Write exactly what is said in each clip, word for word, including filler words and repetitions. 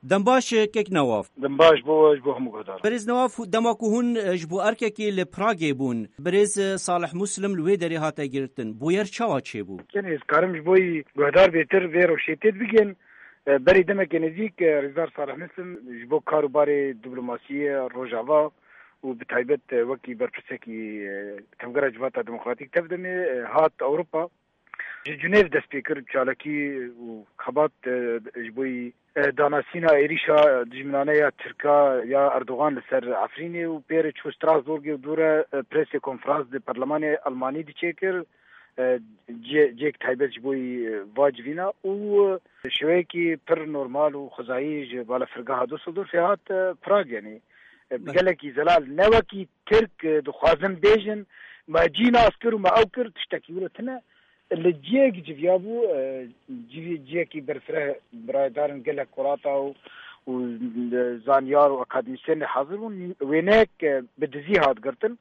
Dem baş, kek Newaf. Dem baş bo we, ji bo hemû guhdar. Birêz Newaf, dema ku hûn, e, ji bo erkekê li Pragê bûn, birêz, e, Salih Muslim li wê derê hate girtin. Bûyer çawa çêbû? Tenê ez karim ji bo yî guhdar bêtir vê rewşê tê bigihim. E, berî demekê nêzîk, e, Rêzdar Salih Muslim ji bo kar û barê diplomasiyê Rojava û bi taybet, e, wekî berpirsekî, e, Tevgera Civata Demokratîk, TEV-DEMê, e, hat Ewropa. Ji Cinêv dest pê kir çalakî û xebat, e, ji bo yî, e, danasîna êrîşa dijminane ya Tirka ya Erdogan li ser Efrînê û pê re çû Strasbourgê û dû re, e, presê konferans di perlemanê Almanî diçêkir. E, cê-, cêk taybet ji bo yî, e, va civîna û, e, şêweyekî pir normal û xwezayî ji balafirgeha Düsseldorfê hat, e, Prag, yanî, e, bi Be- gelekî zelal, ne wekî Tirk, e, dixwazin bêjin, me cî nas kir û me ew kir, tiştekî wilo tune. Li cihek civiyabû, e, civî-, cihekî berfireh, biraydarin gelek kurata û, û, e, zanyar û akademîsyenê hazir bûn. Wêneyek, e, bi dizî hat girtin.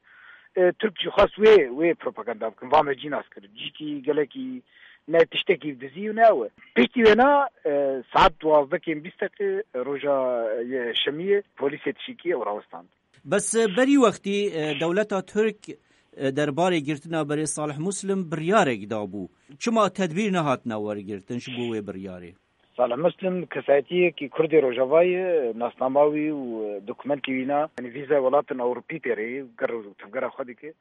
E, Tirk jî xwest wê, wê propaganda bikin. Va me cî nas kir. Cîkî gelekî ne tiştekî bi dizî û ne ew e. Piştî wêna, e, saet duwazdeh kêm bîst deqe roja, e, şemiyê polîsê tişikî ew rawistand. Bes, e, berî wextî, e, dewleta Tirk, e, derbarê girtina berê Salih Muslim biryarek dabû. Çima tedbîr nehatine wergirtin ji bo wê biryarê? Salih Muslim kesayetiyekî Kurdê Rojava ye, nasnama wî û, e, dokumentê wîna, yanî vîza welatên Ewropî pê re ye, ger û tevgera xwe dike.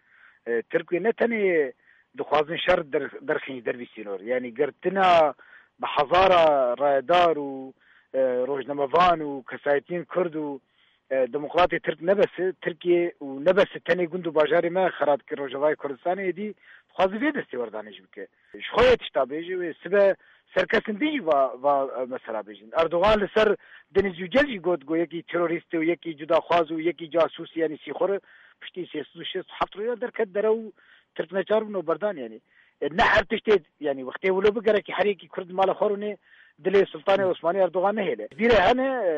E, Tirk wê ne tenê dixwazin şer der-, derxîn ji dervî sînor. Yanî girtina bi hezara rayedar û, e, rojnamevan û kesayetiyên Kurd û, e, demokratê Tirk ne bes e, Tirkiye û ne bes e tenê gund û bajarê me xera dike Rojavayê Kurdistanê êdî dixwaze vê destê werdanê jî bike. Ji xwe yê tişta bêje wê sibe ser kesên din jî va, va, e, mesela bêjin. Erdogan li ser Deniz Yücel jî got, got yekî terorîst e û yekî cudaxwaz û yekî casûs, yanî sîxur e. Piştî sê sed û şêst û heft roja derket dere û Tirk neçar bûn û berdan, yanî. E, ne her tiştê, yanî wextê wilo bi gerekî her yekî Kurd mala xwe rûnê dilê Sultanê Osmanî Erdogan nehêle. Vîrê hene, e,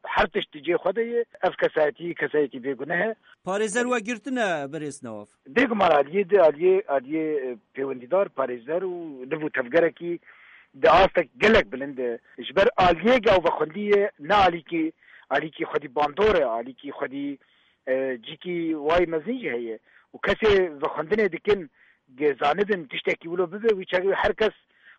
her tişt di cihê xwe de ye. Ev kesayetî, kesayetî bêguneh e. Parêzer we girtine, birêz Newaf? Bêguman aliyê di, aliyê, aliyê, e, pêwendîdar, parêzer û liv û tevgerekî di astek gelek bilind e. Ji ber aliyê ew vexwendî ye, ne alîkî, alîkî xwedî bandor e, alîkî xwedî, e, cîkî wayî mezin jî heye. Û kesê vexwendinê dikin, ge zanibin tiştekî wilo bibe, wî çaxê her kes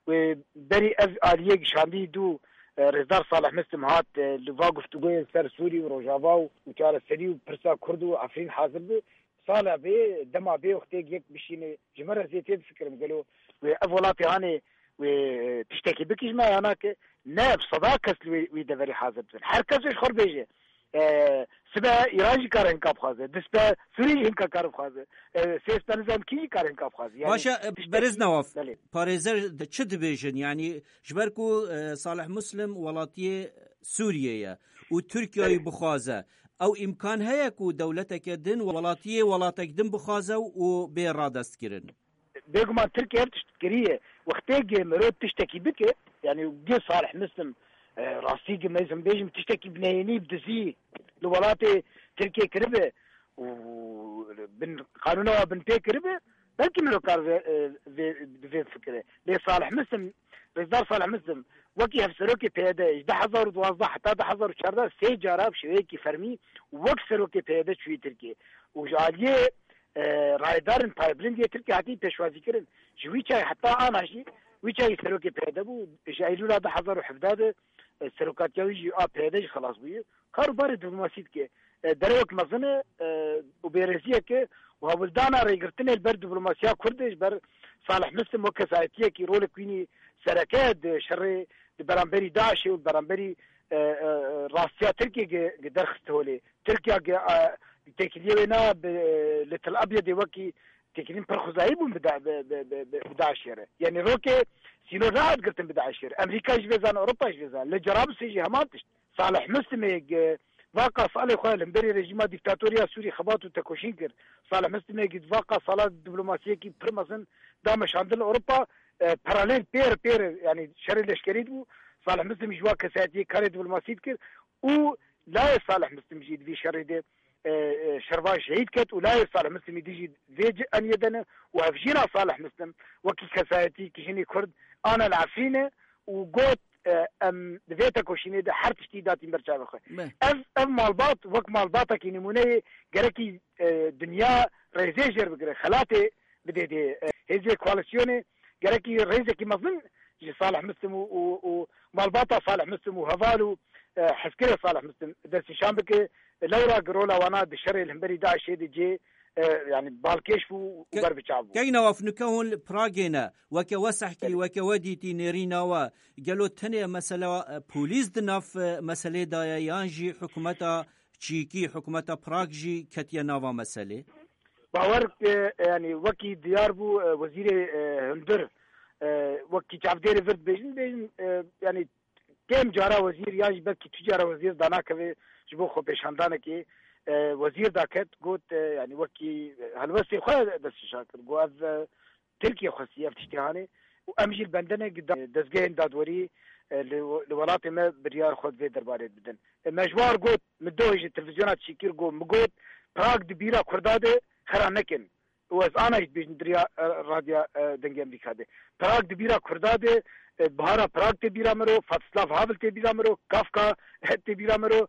wê berî ev aliyê gişandî dû, e, Rêzdar Salih Muslim hat, e, li va guftûgoyê ser Sûrî û Rojava û, û çareserî û pirsa Kurd û Efrîn hazir bi. Sala bê, dema bê wextê yek bişîne, ji me re zêtê bifikirim, gelo wê ev welatê hanê wê tiştekî bikî ji me ya nake? Ne, bi seda kes li wê, wî deverî hazir dibin. Her kes ji xwe bêje. E, sibe Îran jî kare hinka bixwaze. Dispe Sûrî jî hinka kare bixwaze. E, sêspe nizam kî jî kare hinka bixwaze. Yani, Baş e, tiştekî Berêz Newaf, belê. Parêzer di-, çi dibêjin? Yani, ji ber ku, e, Salih Muslim welatiyê Sûriyê ye û Tirkiyeyê Belê. bixwaze, ew îmkan heye ku dewleteke din welatiyê welatek din bixwaze û bê radestkirin? Bêguman Tirkiye ev tişt kiriye. Wextê ge mirov tiştekî bike, yani ge Salih Muslim, e, rastî ge me zim bêjim tiştekî bi neyênî, bi dizî li welatê Tirkiye kiribe û bin qanûna wa bin pê kiribe, belkî mirov kar vê, e, vê, vê fikire. Lê Salih Muslim, Rêzdar Salih Muslim, wekî hevserokê P Y D ji du hezar û duwazdeh heta du hezar û çardeh sê cara bi şêweyekî fermî wek serokê P Y D çûyî Tirkiye. Û ji aliyê, e, rayedarên paybilind yê Tirkiye hatî pêşwazîkirin. Ji wî çayê heta ana jî, wî çayê serokê P Y D bû, ji Eylûla du hezar û hevdeh de, e, serokatiya wî jî a P Y D jî xelas bûye. Kar û barê diplomasî dike. E, derewek mezin e, e, û bêrêziyek e û hewldana rêgirtinê li ber diplomasiya Kurd e, ji ber Salih Muslim wek kesayetiyekî rolek wînî sereke di şerê di beramberî DAIŞê û beramberî, e, e, e, rastiya Tirkiyê ge, ge derxist holê. Tirkiye ge, e, têkiliyê wê na bi, e, li Tel Abyadê wekî têkiliyên pir xwezayî bûn bi da-, bi, bi, bi, bi, bi DAIŞê re. Yanî rokê sînor nehat girtin bi DAIŞê re. Amerîka jî vê zan, Ewropa jî vê zan. Li Cerablusê jî heman tişt. Salih Muslimê ge, vaka salê xwe li hemberî rejîma dîktatoriya Sûrî xebat û tekoşîn kir. Salih Muslimê ge, vaka sala diplomasiyekî pir mezin da meşandin Ewropa, e, paralel pêr pêr, yanî şerê leşkerî dibû. Salih Muslim ji wa kesayetiyê karê diplomasî dikir û layê Salih Muslim jî di vî şerê de, e, e, şervan şehîd ket û layê Salih Muslimî dijî vê ci eniyê de ne û hevjîna Salih Muslim wekî kesayetî kijînê Kurd ana li Efrînê û got, e, em di vê tekoşînê de her tiştî datîn ber çavê xwe. Ev, ev malbat wek malbatekî nimûneyê gerekî, e, dinya rêzê jêr bigire, xelatê bidê dê. E, hêzê koalîsyonê gerekî rêzekî mezin ji Salih Muslim û, û, û malbata Salih Muslim û heval û, e, hezkirê Salih Muslim destnîşan bike. Lewra rola wana di şerê li hemberî DAIŞê de cê, e, yani balkêş bû û Ke-, ber bi çav bû. Kek Newaf, nûke hûn li Pragê ne. Weke we sehkî, Belê. Weke we dîtî nêrîna we. Gelo tenê mesela, e, polîs di nav, e, meselê de ye yan jî hikûmeta çîkî, hikûmeta Prag jî ketiye nava meselê? Bawer, e, yani wekî diyar bû, e, wezîrê, e, hundir, e, wekî çavdêrê vir dibêjin, dibêjin, e, yani kêm cara wezîr yan jî belkî tu cara wezîr danakeve ji bo xwepêşandanekê, e, wezîr daket, got, e, yani wekî helwestê xwe destnîşan kir. Got ev, e, Tirkiye xwestî ev tiştê hanê û em jî li bendene gi da-, dezgehên dadwerî, e, li, li welatê me biryar xwe di vê derbarê bidin. E, me ji wan got, min doh ji televîzyona çîkir got, min got, Prag di bîra Kurda de xera nekin. Û ez ana jî dibêjim di riya, e, radya, e, Dengê Amerîka de. Prag di bîra Kurda de, e, Bihara Prag tê bîra miro, Vatislav Havel tê bîra miro, Kafka tê bîra miro.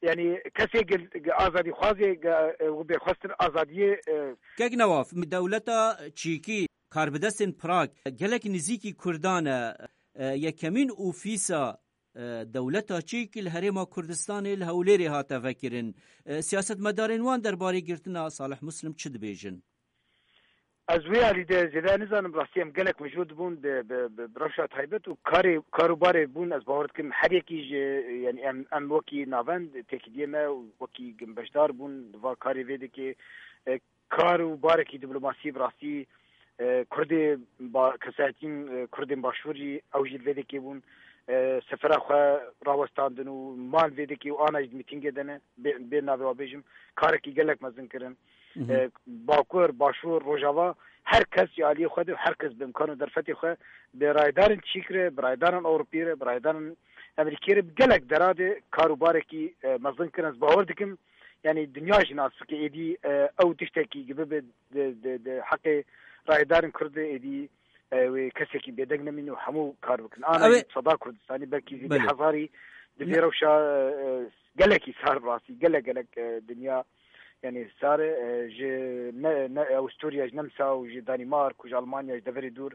Yani kesê gel-, ge-, azadîxwazê, ge-, e, û bêxwestin azadiyê, e, Kek Newaf, dewleta çîkî, karbidestên Prag, gelek nizîkî Kurdan e, e, yekemîn ofîsa, e, dewleta çîk li Herêma Kurdistanê li Hewlêrê hate vekirin. E, siyasetmedarên wan derbarê girtina Salih Muslim çi dibêjin? Ez wê alî de zêde nizanim, rastî em gelek mijûl dibûn bi, bi, bi, bi rewşa taybet û karê, kar û barê bûn, ez bawer dikim her yekî ji, yani em, em wekî navend têkiliyê me û wekî beşdar bûn di va karê vê dikê. E, kar û barekî diplomasî bi rastî, e, Kurdê ba-, kesayetîn, e, Kurdên Başûrî ew jî li vê dikê bûn. E, sefera xwe rawestandin û man vê dikê û ana jî di mîtîngê de ne, bê, bê navê wa bêjim, karekî gelek mezin kirin. E, Bakur, Başûr, Rojava, her kes ji aliyê xwe de, her kes bi imkan û derfetê xwe bi rayedarên çîk re, bi rayedarên Ewropî re, bi rayedarên Amerîkê re, bi gelek dera de kar û barekî, e, mezin kirin. Ez bawer dikim, yani dinya jî nas bike êdî, e, ew tiştekî gibi bi di, di, di heqê rayedarên Kurd de êdî, e, wê kesekî bêdeng nemîn û hemû kar bikin. Ana Ew ê jî seda Kurdistanî belkî zî Belê. Hezarî di vê Ne- rewşa, e, gelekî sar bi rastî, gelek gelek, e, dinya, yani sar, e, ji ne, ne, Avusturya, ji Nemsa û ji Danîmark û ji Almanya, ji deverê dûr,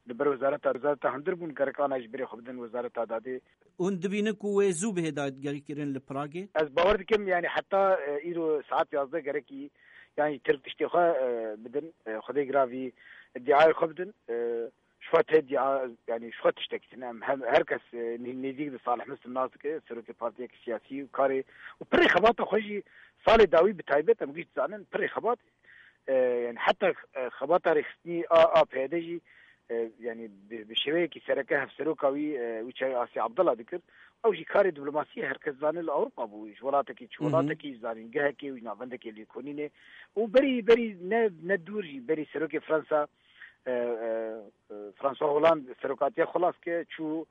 li ber wezareta, wezareta hundir bûn, gerek ana ji birê xwe bidin wezareta dadê. Hûn dibînin ku wê zû bihê dagirkirin li Pragê? Ez bawer dikim, yani heta, e, îro saet yazdeh gerekî, yani Tirk tiştê xwe, e, bidin, e, Xwedê giravî diayê xwe bidin. E, ji xwe te dia, yani ji xwe tiştekî tune. Em hem, her kes, e, nê-, nêzîk di Salih Muslim nas dike, serokê partiyeke siyasî û karê û pirê xebata xwe jî salê dawî bi taybet em giş dizanin, pirê xebat, e, yani heta, e, xebata rêxistinî a, a P Y D jî, e, yani bi, bi şêweyekî sereke hevseroka wî, e, wî çaxê Asya Abdullah dikir. Ew jî karê diplomasiyê her kes zane li Ewropa bû. Ji welatekî çi Hı hı. welatekî, ji zanîngehekê û ji navendekê lêkolînê. Û berî, berî ne, ne dûr jî, berî serokê Fransa, e, e, e, François Hollande serokatiya xwe las ke çû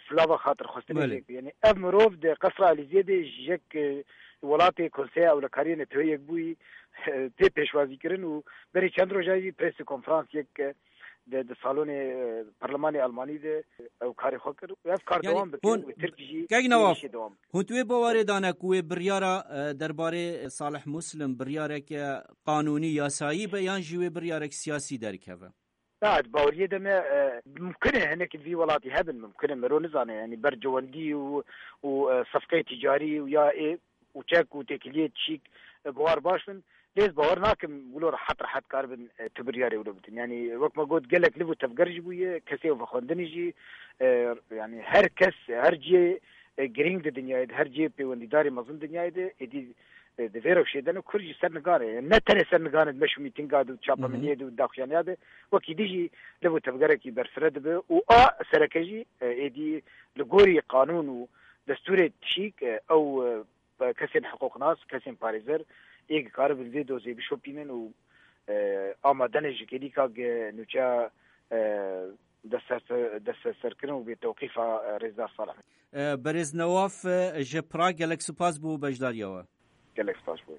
silava xatirxwestinê Belê. jê kir. Yani ev mirov di Qesra Elîzeyê de ji yek, e, welatê Konseya Ewlekariyê Neteweyê Yekbûyî, e, tê pêşwazîkirin û berî çend roja jî presê konferans yek, e, di, di salonê, e, Parlemanê Almanî de ew karê xwe kir. Ev kar Yani dewam bike hûn, û Tirk jî Kek Newaf, êrîşê dewam bike. Hûn tu wê bawerê dane ku wê biryara, e, derbarê Salih Muslim biryareke qanûnî, yasayî be yan jî wê biryarek siyasî derkeve? Na, di baweriyê de me, e, mimkun e hinek li vî welatî hebin, mimkun e, mero nizane, yani ber cewendî û, û, e, sefqeyê tîcarî û ya ê û çek û têkiliyê çîk, e, bi war baş bin. Lê ez bawer nakim wilo rehet rehet karibin, e, tu biryarê wilo bidin. Yani wek me got, gelek liv û tevger jî bûye, kesê vexwendinê jî, e, yani her kes, her cihê, e, girîng di dinyayê de, her cihê pêwendîdarê mezin dinyayê de, êdî, e, di vê rewşê de ne Kurd jî ser nigan e. Ne tenê ser nigan e, di meş û mîtînga de û Hı hı. çapemeniyê de û daxuyaniya de, wekî dî jî liv û tevgerekî berfireh dibe û a sereke jî, e, êdî li gorî qanûn û destûrê çîk, e, ew, e, kesên hiqûqnas, kesên parêzer ê dikaribin vê dozê bişopînin û, e, amade ne ji kêlîka ge nûçeya, e, destserse-, destserserkirin û bêtewqîfa, e, rêzdar Salih. E, Berêz Newaf, e, ji Prag gelek spas bo beşdariya we. Gelek spas bo.